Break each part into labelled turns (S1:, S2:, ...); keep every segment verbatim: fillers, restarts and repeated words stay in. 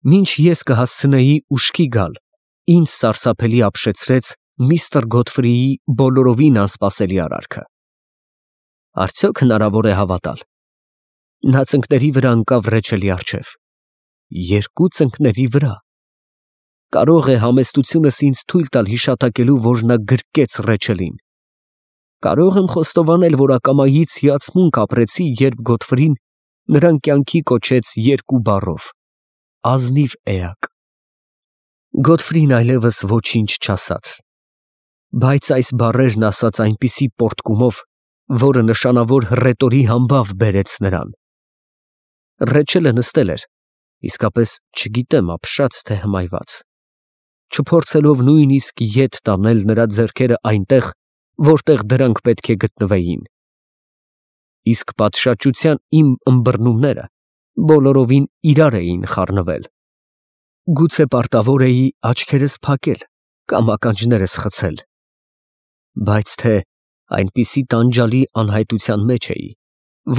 S1: Մինչ ես կհասցնեի ուշքի գալ, ինձ սարսափելի ապշեցրեց միստր Գոթֆրիի բոլորովին անսպասելի արարքը։ Արդյոք հնարավոր է հավատալ։ Նա ծնկների վրա ընկավ Ռեչելի առջև։ Երկու ծնկների վրա։ Կարող է համեստությունս ինձ թույլ տալ հիշատակելու, որ նա գրկեց Ռեչելին։ Կարող եմ խոստովանել, որ ակամայից հիացմունք ապրեցի, երբ Գոթֆրին նրան կյանքի կոչեց երկու բառով. ազնիվ էակ։ Գոթֆրին այլևս ոչինչ չասաց, բայց այս բառերն ասաց այնպիսի պոռթկումով, որը նշանավոր հռետորի համբավ բերեց նրան։ Ռեչելը նստել էր, իսկապես չգիտեմ ապշած թե հմայված, չփորձելով նույնիսկ ետ տանել նրա ձեռքերը այնտեղ, որտեղ դրանք պետք է գտնվեին։ Իսկ պատշաճության իմ ըմբռնումները բոլորովին իրար էին խառնվել։ Գուցե պարտավոր էի աչքերս փակել կամ ականջներս խցել, բայց թե այնպիսի տանջալի անհայտության մեջ էի,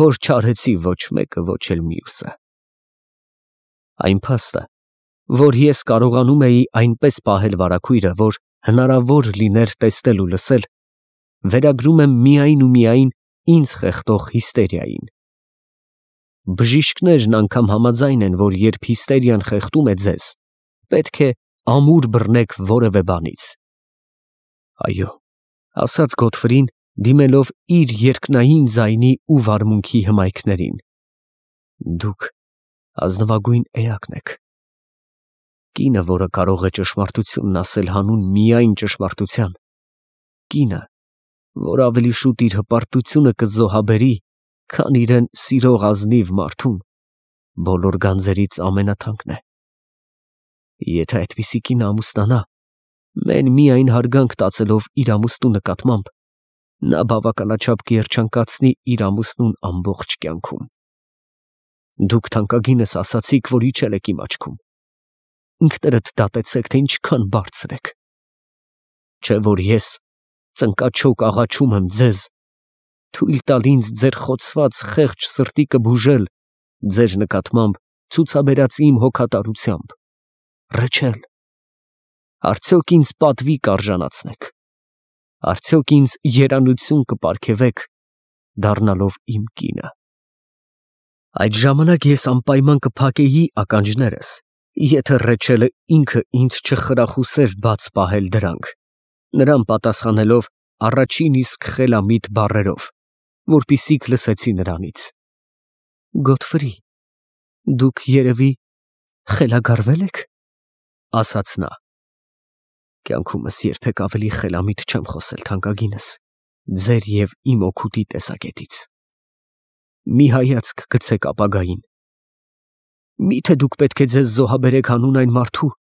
S1: որ չարեցի ոչ մեկը, ոչ էլ մյուսը։ Այն փաստը, որ ես կարողանում էի այնպես պահել վարագույրը, որ հնարավոր լիներ տեսնել ու լսել, վերագրում եմ միայն ու միայն ինձ խեղդող հիստերիային։ Բժիշկներն անգամ համաձայն են, որ երբ հիստերիան խեղդում է ձեզ, պետք է ամուր բռնեք որևէ բանից։ Այո, ասաց Գոթֆրին, դիմելով իր երկնային ձայնի ու վարմունքի հմայքներին, դուք ազնվագույն էակն եք։ Կինը, որը կարող է ճշմարտությունն ասել հանուն միայն ճշմարտության, կինը, որ ավելի շուտ իր հպարտությունը կզոհաբերի, քան իրեն սիրող ազնիվ մարդուն, բոլոր գանձերից ամենաթանկն է։ Եթե այդպիսի կինը ամուսնանա, մեն միայն հարգանք տածելով իր ամուսնու նկատմամբ, նա բավականաչափ կերջանկացնի իր ամուսնուն ամբողջ կյանքում։ Դուք թանկագինս ասացիք, որ իջել եք իմ աչքում։ Ինքներդ դատեցեք, թե ինչքան բարձր եք։ Չէ՞ որ ես ծնկաչոք աղաչում եմ ձեզ, թույլ տալ ինձ ձեր խոցված խեղճ սրտիկը բուժել ձեր նկատմամբ ցուցաբերած իմ հոգատարությամբ։ Ռեչել, արդյոք ինձ պատվի կարժանացնեք, արդյոք ինձ երանություն կպարգևեք, դառնալով իմ կինը։ Այդ ժամանակ ես անպայման կփակեի ականջներս, եթե Ռեչելը ինքը ինձ չխրախուսեր բաց պահել դրանք, նրան պատասխանելով առաջին իսկ խելամիտ բառերով, որպիսիք լսեցի նրանից. Գոթֆրի, դուք երևի խելագարվել եք, ասաց նա։ Կյանքումս երբեք ավելի խելամիտ չեմ խոսել, թանկագինս, ձեր և իմ օգուտի տեսակետից։ Մի հայացք գցեք ապագային։ Միթե դուք պետք է ձեզ զոհաբերեք հանուն այն մարդու,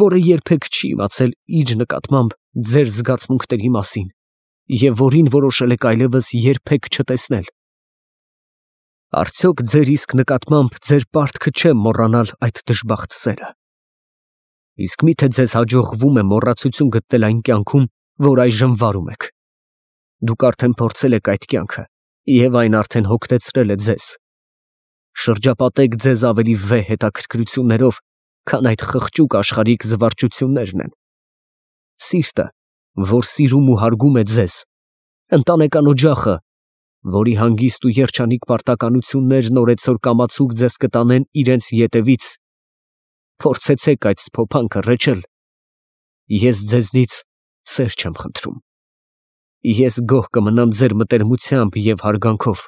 S1: որը երբեք չի իմացել իր նկատմամբ ձեր զգացմունքների մասին և որին որոշել եք այլևս երբեք չտեսնել։ Արդյոք ձեր իսկ նկատմամբ ձեր պարտքը չէ մոռանալ այդ դժբախտ սերը։ Իսկ միթե ձեզ հաջողվում է մոռացություն գտնել այն կյանքում, որ այժմ վարում եք։ Դուք արդեն փորձել եք այդ կյանքը, և այն արդեն հոգնեցրել է ձեզ։ Շրջապատեք ձեզ ավելի վեհ հետաքրքրություններով, քան այդ խղճուկ աշխարհիկ զվարճություններն են։ Սիրտը, որ սիրում ու հարգում է ձեզ, ընտանեկան օջախը, որի հանգիստ ու երջանիկ պարտականություններն օրեցօր կամացուկ ձեզ կտանեն իրենց ետևից, փորձեցեք այդ սփոփանքը, Ռեչել։ Ես ձեզնից սեր չեմ խնդրում։ Ես գոհ կմնամ ձեր մտերմությամբ և հարգանքով։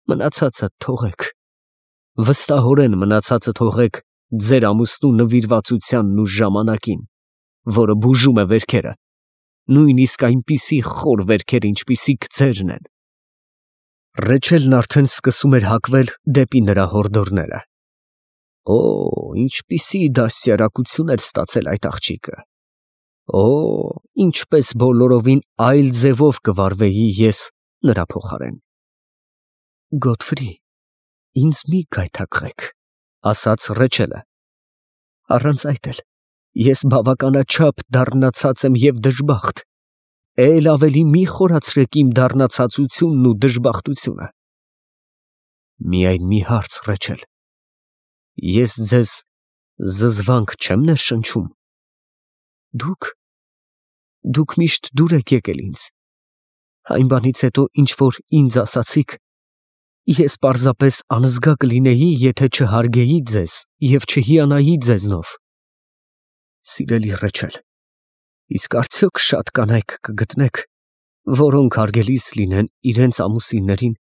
S1: Մնացածը թողեք, վստահորեն մնացածը թողեք ձեր ամուսնու նվիրվածությանն ու ժամանակին, որը բուժում է վերքերը, նույնիսկ այնպիսի խոր վերքեր, ինչպիսիք ձերն են։ Ռեչելն արդեն սկսում էր հակվել դեպի նրա հորդորները։ Օ, ինչպիսի դաստիարակություն էր ստացել այդ աղջիկը։ Օ, ինչպես բոլորովին այլ ձևով կվարվեի ես նրա փոխարեն։ Գոթֆրի, ինձ մի գայթակղեք, ասաց Ռեչելը։ Առանց այդ էլ ես բավականաչափ դառնացած եմ և դժբախտ, էլ ավելի մի խորացրեք իմ դառնացածությունն ու դժբախտությունը։ Միայն մի հարց, Ռեչել, ես ձեզ զզվանք չեմ ներշնչում։ Դուք, դուք միշտ դուր եք եկել ինձ։ Այն բանից հետո, ինչ որ ինձ ասացիք, ես պարզապես անզգա կլինեի, եթե չհարգեի ձեզ և չհիանայի ձեզնով։ Սիրելի Ռեչել, իսկ արդյոք շատ կանայք կգտնեք, որոնք հարգելիս լինեն իրենց ամուսիններին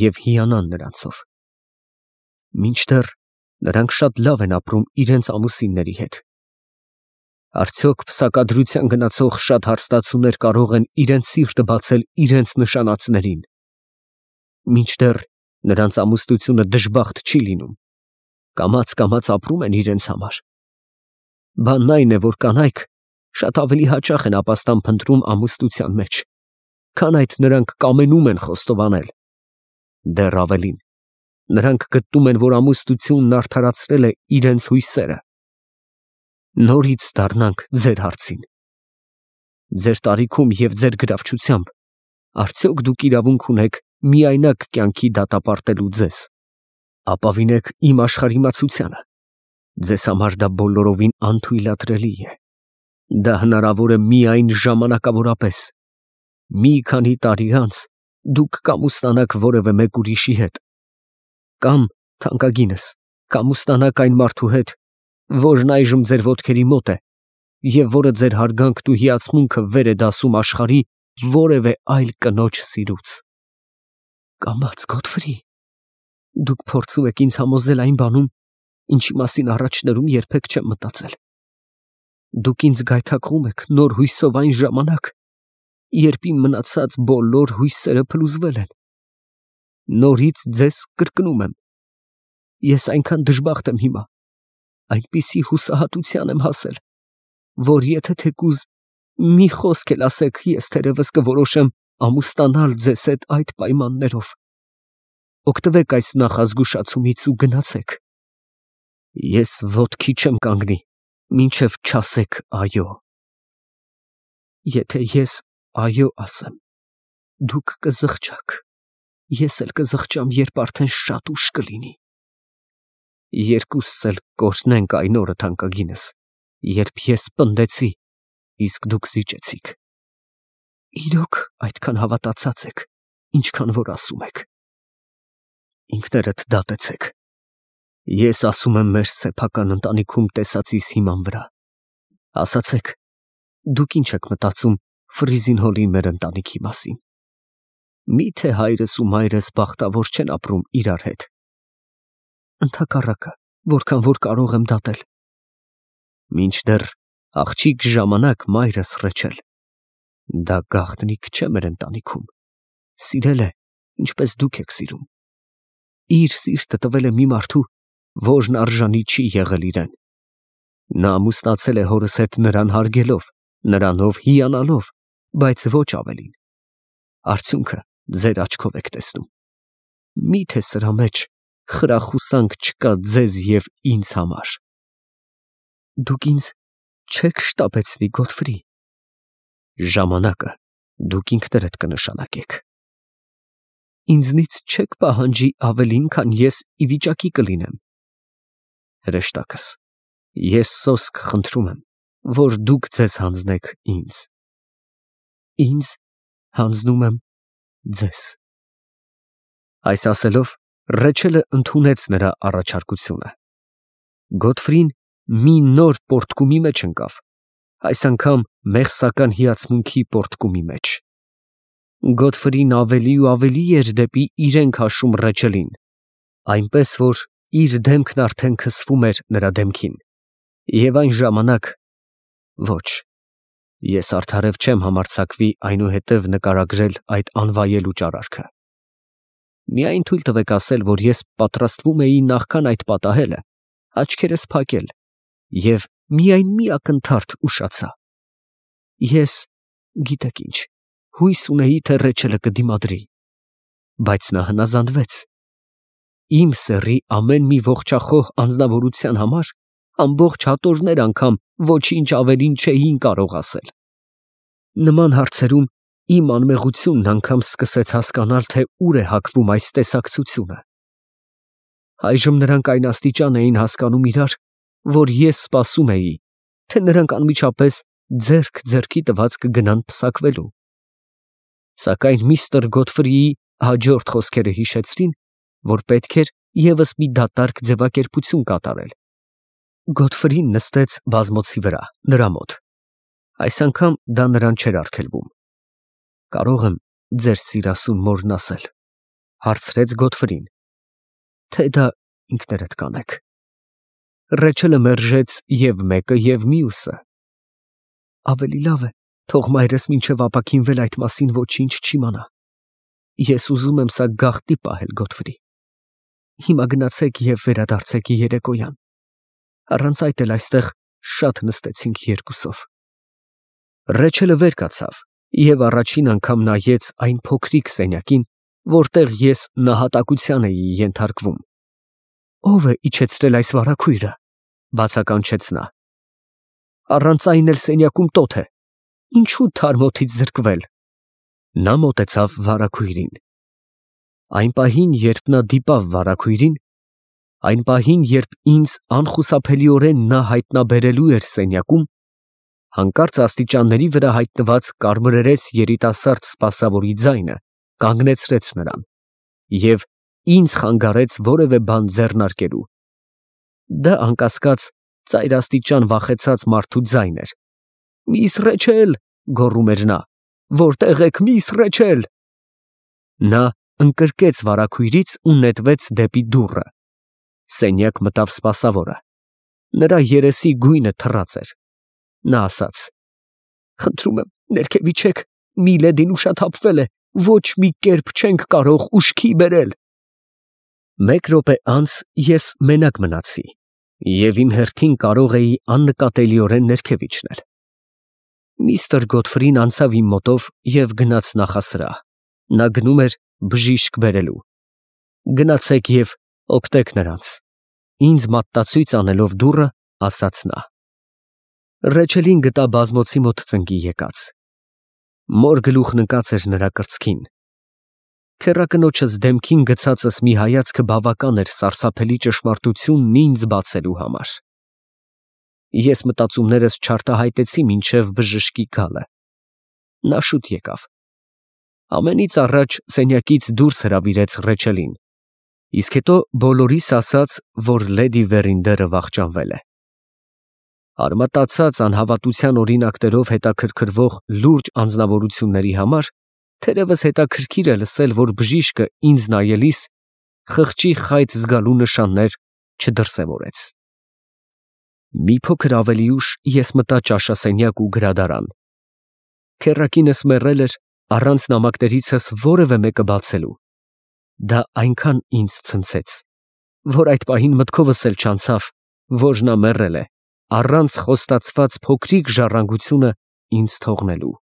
S1: և հիանան նրանցով։ Մինչդեռ նրանք շատ լավ են ապրում իրենց ամուսինների հետ։ Արդյոք փսակադրության գնացող շատ հարստացուներ կարող են իրենց սիրտը բացել իրենց նշանածներին։ Մինչդեռ նրանց ամուսնությունը դժբախտ չի լինում, կամաց-կամաց ապրում են իրենց համար։ Բանն այն է, որ կանայք շատ ավելի հաճախ են ապաստան փնտրում ամուսնության մեջ, քան այդ նրանք կամենում են խոստովանել։ Դեռ ավելին, նրանք գտնում են, որ ամուսնությունն արդարացրել է իրենց հույսերը։ Նորից դառնանք ձեր հարցին։ Ձեր տարիքում և ձեր գրավչությամբ արդյոք դուք իրավունք ունեք միայնակ կյանքի դատապարտելու ձեզ։ Ապավինեք իմ աշխարհիմացությանը։ Ձեզ համար դա բոլորովին անթույլատրելի է։ Դա հնարավոր է միայն ժամանակավորապես։ Մի քանի տարի անց դուք կամուսնանաք որևէ մեկ ուրիշի հետ, կամ, թանկագինս, կամուսնանաք այն մարդու հետ, որն այժմ ձեր ոտքերի մոտ է և որը ձեր հարգանքն ու հիացմունքը վեր է դասում աշխարհի որևէ այլ կնոջ սիրուց։ Կամաց, Գոթֆրի, դուք փորձում եք ինձ համոզել այն բանում, ինչի մասին առաջներում երբեք չեմ մտածել։ Դուք ինձ գայթակղում եք նոր հույսով այն ժամանակ, երբ իմ մնացած բոլոր հույսերը փլուզվել են։ Նորից ձեզ կրկնում եմ. ես այնքան դժբախտ եմ հիմա, այնպիսի հուսահատության եմ հասել, որ եթե թեկուզ մի խոսք էլ ասեք, ես թերևս կորոշեմ ամուսնանալ ձեզ հետ այդ պայմաններով։ Օգտվեք այս նախազգուշացումից ու գնացեք։ Ես ոտքի չեմ կանգնի, մինչև չասեք այո։ Եթե ես այո ասեմ, դուք կզղջաք, ես էլ կզղջամ, երբ արդեն շատ ուշ կլինի։ Երկուսս էլ կօրհնենք այն օրը, թանկագինս, երբ ես պնդեցի, իսկ դուք զիջեցիք։ Իրոք այդքան հավատացած եք, ինչքան որ ասում եք։ Ինքներդ դատեցեք։ Ես ասում եմ մեր սեփական ընտանիքում տեսածիս հիման վրա։ Ասացեք, դուք ինչ եք մտածում Ֆրիզին Հոլի մեր ընտանիքի մասին։ Միթե հայրս ու մայրս բախտավոր չեն ապրում իրար հետ։ Ընդհակառակը, որքան որ կարող եմ դատել։ Մինչդեռ աղջիկ ժամանակ մայրս Ռեչել, դա գաղտնիք չէ մեր ընտանիքում, սիրել է, ինչպես դուք եք սիրում։ Իր սիրտը տվել է մի մարդու, որն արժանի չի եղել իրեն։ Նա ամուսնացել է հորս հետ նրան հարգելով, նրանով հիանալով, բայց ոչ ավելին։ Արդյունքը ձեր աչքով եք տեսնում։ Միթե սրա մեջ խրախուսանք չկա ձեզ և ինձ համար։ Դուք ինձ չեք շտապեցնի, Գոթֆրի։ Ժամանակը դուք ինքներդ կնշանակեք։ Ինձնից չեք պահանջի ավելին, քան ես ի վիճակի կլինեմ։ Հրեշտակս, ես սոսկ խնդրում եմ, որ դուք ձեզ հանձնեք ինձ։ Ինձ հանձնում եմ ձեզ։ Այս ասելով, Ռեչելը ընդունեց նրա առաջարկությունը։ Գոթֆրին մի նոր պոռթկումի մեջ ընկավ, այս անգամ մեղսական հիացմունքի պոռթկումի մեջ։ Գոթֆրին ավելի ու ավելի էր դեպի իրեն քաշում Ռեչելին, այնպես որ իր դեմքն արդեն քսվում էր նրա դեմքին, և այն ժամանակ ոչ, ես արդարև չեմ համարձակվի այնուհետև նկարագրել այդ անվայելուչ արարքը։ Միայն թույլ տվեք ասել, որ ես պատրաստվում էի նախքան այդ պատահելը աչքերս փակել և միայն մի ակնթարթ ուշացա։ Ես, գիտեք ինչ, հույս ունեի, թե Ռեչելը կդիմադրի, բայց նա հնազանդվեց։ Իմ սեռի ամեն մի ողջախոհ անձնավորության համար ամբողջ հատորներ անգամ ոչինչ ավելին չէին կարող ասել։ Նման հարցերում իմ անմեղությունն անգամ սկսեց հասկանալ, թե ուր է հակվում այս տեսակցությունը։ Այժմ նրանք այն աստիճան էին հասկանում իրար, որ ես սպասում էի, թե նրանք անմիջապես ձեռք ձեռքի տված կգնան պսակվելու։ Սակայն միստր Գոթֆրիի հաջորդ խոսքերը հիշեցրին, որ պետք էր ևս մի դատարկ ձևակերպություն կատարել։ Գոթֆրին նստեց բազմոցի վրա, նրա մոտ։ Այս անգամ դա նրան չէր արգելվում։ «Կարող եմ ձեր սիրասուն մորն ասել», հարցրեց Գոթֆրին, «թե դա ինքներդ կանեք»։ Ռեչելը մերժեց և մեկը, և մյուսը։ «Ավելի լավ է, թող մայրս մինչև ապաքինվել այդ մասին ոչինչ չիմանա։ Ես ուզում եմ սա գաղտնի պահել, Գոթֆրի։ Հիմա գնացեք և վերադարձեք երեկոյան։ Առանց այդ էլ այստեղ շատ նստեցինք երկուսով»։ Ռեչելը վեր կացավ և առաջին անգամ նայեց այն փոքրիկ սենյակին, որտեղ ես նահատակության էի ենթարկվում։ «Ո՞վ է իջեցրել այս վարագույրը», բացականչեց նա։ «Առանց այն էլ սենյակում տոթ է, ինչու թարմ օդից զրկվել»։ Նա մոտեցավ վարագույրին։ Այն պահին, երբ նա դիպավ վարագույրին, այն պահին, երբ ինձ անխուսափելիորեն նա հայտնաբերելու էր սենյակում, հանկարծ աստիճանների վրա հայտնված կարմրերես երիտասարդ սպասավորի ձայնը կանգնեցրեց նրան և ինձ խանգարեց որևէ բան ձեռնարկելու։ Դա անկասկած ծայրաստիճան վախեցած մարդու ձայն էր։ «Միս Ռեչել», գոռում էր նա, «որտե՞ղ եք, միս Ռեչել»։ Նա ընկրկեց վարագույրից ու նետվեց դեպի դուռը։ Սենյակ մտավ սպասավորը։ Նրա երեսի գույնը թռած էր։ Նա ասաց. «Խնդրում եմ, ներքև իջեք, Միլեդին ուշաթափվել է, ոչ մի կերպ չենք կարող ուշքի բերել»։ Մեկ րոպե անց ես մենակ մնացի և իմ հերթին կարող էի աննկատելիորեն ներքև իջնել։ Միստր Գոթֆրին անցավ իմ մոտով և գնաց նախասրահ։ Նա գնում էր բժիշկ բերելու։ «Գնացեք և օգնեք նրանց», ինձ մատտացույց անելով դուռը, ասաց նա։ Ռեչելին գտա բազմոցի մոտ ծնկի եկած։ Մոր գլուխն ընկած էր նրա կրծքին։ Քեռակնոջս դեմքին գցածս մի հայացքը բավական էր սարսափելի ճշմարտությունն ինձ բացելու համար։ Ես մտածումներս չարտահայտեցի մինչև բժշկի գալը։ Նա շուտ եկավ։ Ամենից առաջ սենյակից դուրս հրավիրեց Ռեչելին, իսկ հետո բոլորիս ասաց, որ լեդի Վերինդերը վախճանվել է։ Արմատացած անհավատության օրինակներով հետաքրքրվող լուրջ անձնավորությունների համար թերևս հետաքրքիր է լսել, որ բժիշկը ինձ նայելիս խղճի խայծ զգալու նշաններ չդրսևորեց։ Մի փոքր ավելի ուշ ես մտա ճաշասենյակ ու գրադարան։ Քեռակինս մեռել էր առանց նամակներիցս որևէ մեկը բացելու։ Դա այնքան ինձ ցնցեց, որ այդ պահին մտքովս էլ չանցավ, որ նա մեռել է, առանց խոստացված փոքրիկ ժառանգությունը ինձ թողնելու։